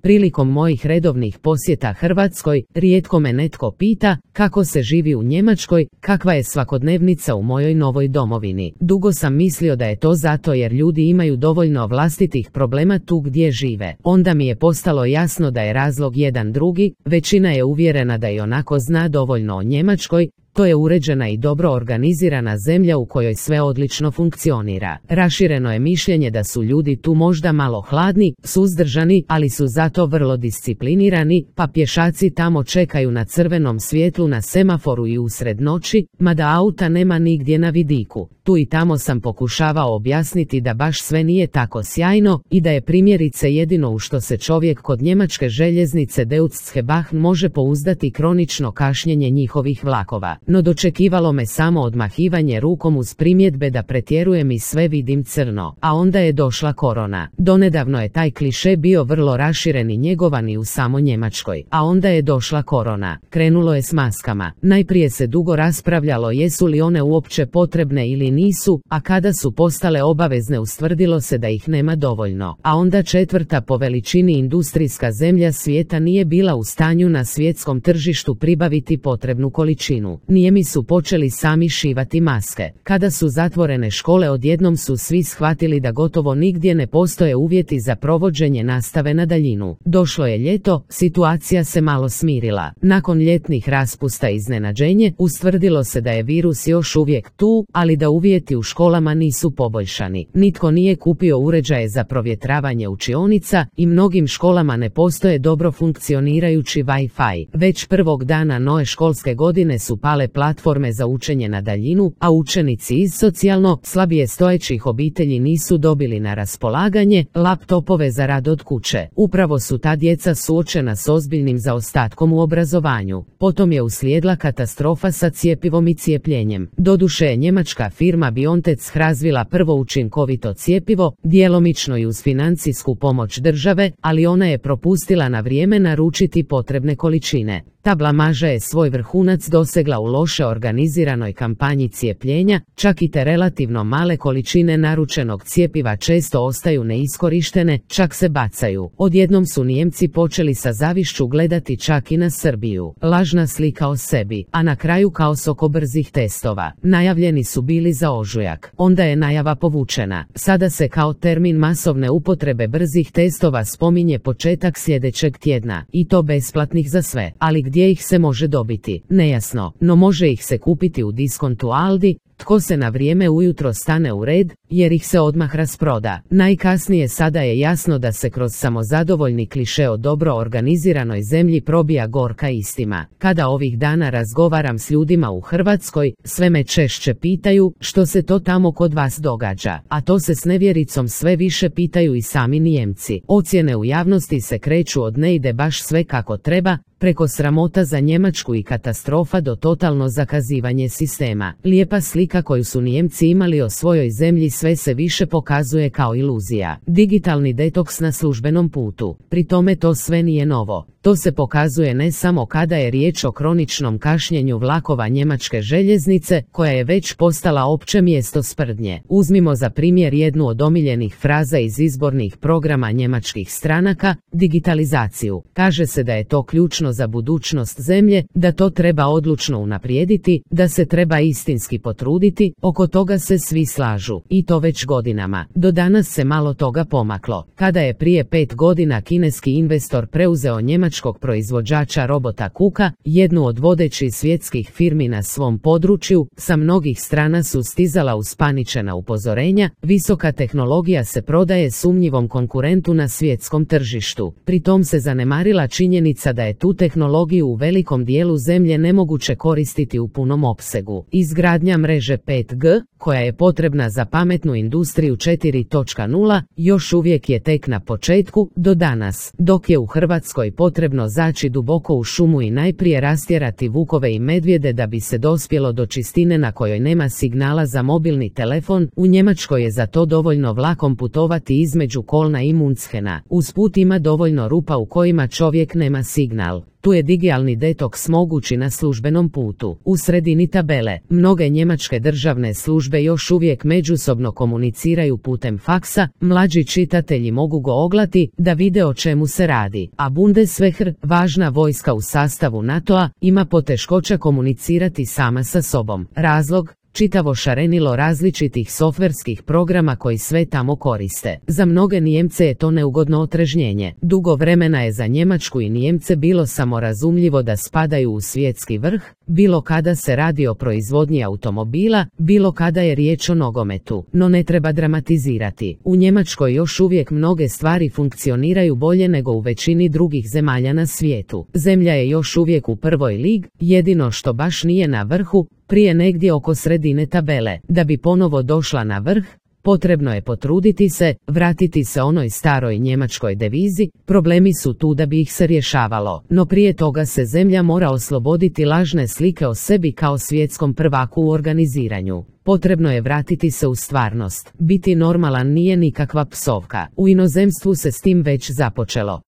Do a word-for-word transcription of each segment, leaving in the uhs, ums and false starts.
Prilikom mojih redovnih posjeta Hrvatskoj, rijetko me netko pita kako se živi u Njemačkoj, kakva je svakodnevnica u mojoj novoj domovini. Dugo sam mislio da je to zato jer ljudi imaju dovoljno vlastitih problema tu gdje žive. Onda mi je postalo jasno da je razlog jedan drugi, većina je uvjerena da i onako zna dovoljno o Njemačkoj. To je uređena i dobro organizirana zemlja u kojoj sve odlično funkcionira. Rašireno je mišljenje da su ljudi tu možda malo hladni, suzdržani, ali su zato vrlo disciplinirani, pa pješaci tamo čekaju na crvenom svjetlu na semaforu i usred noći, mada auta nema nigdje na vidiku. Tu i tamo sam pokušavao objasniti da baš sve nije tako sjajno i da je primjerice jedino u što se čovjek kod njemačke željeznice Deutsche Bahn može pouzdati kronično kašnjenje njihovih vlakova. No dočekivalo me samo odmahivanje rukom uz primjedbe da pretjerujem i sve vidim crno. A onda je došla korona. Donedavno je taj kliše bio vrlo raširen i njegovan i u samo Njemačkoj. A onda je došla korona. Krenulo je s maskama. Najprije se dugo raspravljalo jesu li one uopće potrebne ili nisu, a kada su postale obavezne ustvrdilo se da ih nema dovoljno. A onda četvrta po veličini industrijska zemlja svijeta nije bila u stanju na svjetskom tržištu pribaviti potrebnu količinu. Nijemi su počeli sami šivati maske. Kada su zatvorene škole odjednom su svi shvatili da gotovo nigdje ne postoje uvjeti za provođenje nastave na daljinu. Došlo je ljeto, situacija se malo smirila. Nakon ljetnih raspusta i iznenađenje, ustvrdilo se da je virus još uvijek tu, ali da uvjeti u školama nisu poboljšani. Nitko nije kupio uređaje za provjetravanje učionica i mnogim školama ne postoje dobro funkcionirajući Wi-Fi. Već prvog dana nove školske godine su pale platforme za učenje na daljinu, a učenici iz socijalno slabije stojećih obitelji nisu dobili na raspolaganje laptopove za rad od kuće. Upravo su ta djeca suočena s ozbiljnim zaostatkom u obrazovanju. Potom je uslijedila katastrofa sa cjepivom i cijepljenjem. Doduše je njemačka firma BioNTech razvila prvo učinkovito cjepivo, djelomično i uz financijsku pomoć države, ali ona je propustila na vrijeme naručiti potrebne količine. Ta blamaža je svoj vrhunac dosegla u loše organiziranoj kampanji cijepljenja, čak i te relativno male količine naručenog cjepiva često ostaju neiskorištene, čak se bacaju. Odjednom su Nijemci počeli sa zavišću gledati čak i na Srbiju. Lažna slika o sebi, a na kraju kaos oko brzih testova. Najavljeni su bili za ožujak. Onda je najava povučena. Sada se kao termin masovne upotrebe brzih testova spominje početak sljedećeg tjedna. I to besplatnih za sve. Ali gdje ih se može dobiti? Nejasno, no može ih se kupiti u diskontu Aldi. Tko se na vrijeme ujutro stane u red, jer ih se odmah rasproda. Najkasnije sada je jasno da se kroz samozadovoljni kliše o dobro organiziranoj zemlji probija gorka istina. Kada ovih dana razgovaram s ljudima u Hrvatskoj, sve me češće pitaju što se to tamo kod vas događa, a to se s nevjericom sve više pitaju i sami Nijemci. Ocjene u javnosti se kreću od ne ide baš sve kako treba, preko sramota za Njemačku i katastrofa do totalno zakazivanje sistema. Lijepa slika koju su Nijemci imali o svojoj zemlji sve se više pokazuje kao iluzija. Digitalni detoks na službenom putu. Pri tome to sve nije novo. To se pokazuje ne samo kada je riječ o kroničnom kašnjenju vlakova njemačke željeznice, koja je već postala opće mjesto sprdnje. Uzmimo za primjer jednu od omiljenih fraza iz izbornih programa njemačkih stranaka, digitalizaciju. Kaže se da je to ključno za budućnost zemlje, da to treba odlučno unaprijediti, da se treba istinski potruditi, oko toga se svi slažu. I to već godinama. Do danas se malo toga pomaklo. Kada je prije pet godina kineski investor preuzeo njemačkog proizvođača robota Kuka, jednu od vodećih svjetskih firmi na svom području, sa mnogih strana su stizala uspaničena upozorenja, visoka tehnologija se prodaje sumnjivom konkurentu na svjetskom tržištu. Pri tom se zanemarila činjenica da je tu tehnologiju u velikom dijelu zemlje nemoguće koristiti u punom opsegu. Izgradnja mreže pet G, koja je potrebna za pametnu industriju četiri točka nula, još uvijek je tek na početku, do danas, dok je u Hrvatskoj potrebno zaći duboko u šumu i najprije rastjerati vukove i medvjede da bi se dospjelo do čistine na kojoj nema signala za mobilni telefon, u Njemačkoj je za to dovoljno vlakom putovati između Kolna i Munchena. Uz put ima dovoljno rupa u kojima čovjek nema signal. Tu je digitalni detoks mogući na službenom putu. U sredini tabele, mnoge njemačke državne službe još uvijek međusobno komuniciraju putem faksa, mlađi čitatelji mogu go oglati da vide o čemu se radi, a Bundeswehr, važna vojska u sastavu NATO-a, ima poteškoća komunicirati sama sa sobom. Razlog? Čitavo šarenilo različitih softverskih programa koji sve tamo koriste. Za mnoge Nijemce je to neugodno otrežnjenje. Dugo vremena je za Njemačku i Nijemce bilo samorazumljivo da spadaju u svjetski vrh, bilo kada se radi o proizvodnji automobila, bilo kada je riječ o nogometu. No ne treba dramatizirati. U Njemačkoj još uvijek mnoge stvari funkcioniraju bolje nego u većini drugih zemalja na svijetu. Zemlja je još uvijek u prvoj ligi, jedino što baš nije na vrhu, prije negdje oko sredine tabele. Da bi ponovo došla na vrh, potrebno je potruditi se, vratiti se onoj staroj njemačkoj devizi, problemi su tu da bi ih se rješavalo. No prije toga se zemlja mora osloboditi lažne slike o sebi kao svjetskom prvaku u organiziranju. Potrebno je vratiti se u stvarnost. Biti normalan nije nikakva psovka. U inozemstvu se s tim već započelo.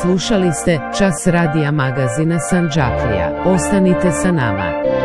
Slušali ste Čas radija magazina Sandžaklija. Ostanite sa nama.